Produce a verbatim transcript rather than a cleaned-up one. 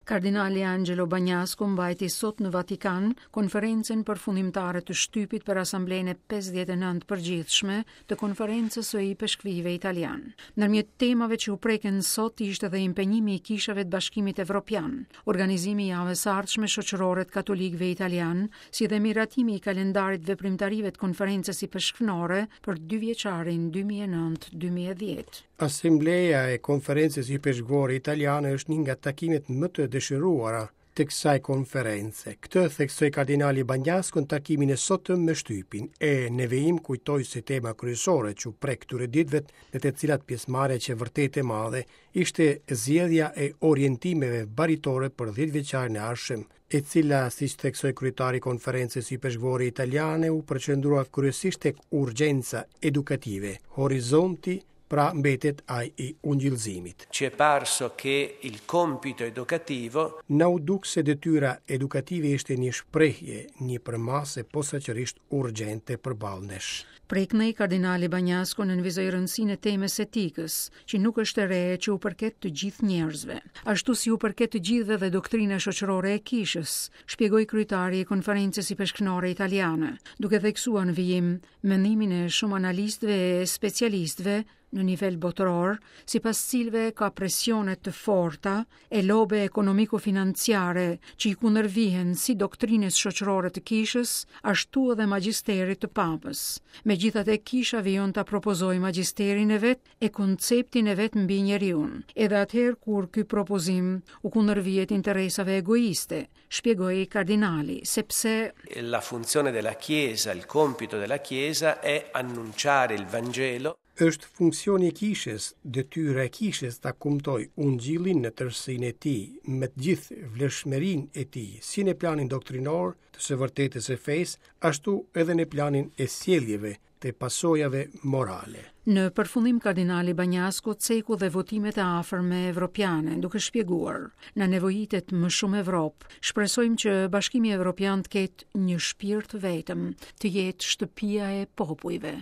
Kardinali Angelo Bagnasco mbajti sot në Vatikan konferencën përfundimtare të shtypit për Asamblenë e pesëdhjetë e nëntë përgjithshme të Konferencës së Ipeshkvijve Italian. Ndërmjet temave që u preken sot ishte edhe impenjimi i kishave të Bashkimit Evropian, organizimi i javës së ardhshme shoqërore të katolikëve italian, si dhe miratimi i kalendarit veprimtarive të Konferencës Ipeshkvnore për dy vjeçarin dy mijë e nëntë dy mijë e dhjetë. Asambleja e Konferencës Ipeshkvore Italiane është një nga takimet më të dëshiruara të kësaj konference. Këtë theksoi kardinali Bagnasco në takimin e sotëm me shtypin, e në vijim kujtoi se tema kryesore që u prek këtyre ditëve, në të cilat pjesëmarrja që vërtet e madhe, ishte zgjedhja e orientimeve baritore për dhjetë vjeçarin e ardhshëm, e cila, siç theksoi kryetari i Konferencës Ipeshkvore Italiane, u përqendrua kryesisht tek urgjenca edukative, horizonti pra mbetet ai i ungjillzimit. Ci è parso che il compito educativo Na u duk se detyra edukative ishte një shprehje, një përmasë posaçërisht urgjente përballë nesh. Preknej kardinali Bagnasco nënvizoi rëndësinë e temës etikës, që nuk është e re që u përket të gjithë njerëzve, ashtu si u përket të gjithëve dhe doktrina shoqërore e kishës, shpjegoi kryetari i Konferencës Ipeshkvnore Italiane, duke theksuar në vijim mendimin e shumë analistëve e specialistëve në nivel botëror, sipas cilëve ka presione të forta e lobe ekonomiko-financiare që i kundërvihen si doktrinës shoqërore të kishës, ashtu edhe magjisterit të papës. Megjithatë, kisha vijon ta propozojë magjisterin e vet e konceptin e vet mbi njeriun, edhe atëherë kur ky propozim u kundërvihet interesave egoiste, shpjegoi kardinali, sepse la funzione della Chiesa, il compito della Chiesa è annunciare il Vangelo. Është funksioni i kishës, detyra e kishës ta kumtoj ungjillin në tërësinë e tij, me të gjithë vlefshmërinë e tij, si në planin doktrinor të së vërtetës së fesë, ashtu edhe në planin e sjelljeve, të pasojave morale. Në përfundim kardinali Bagnasco ceku dhe votimet e afërme evropiane, duke shpjeguar, na nevojitet më shumë Evropë. Shpresojmë që Bashkimi Evropian të ketë një shpirt vetëm, të jetë shtëpia e popujve.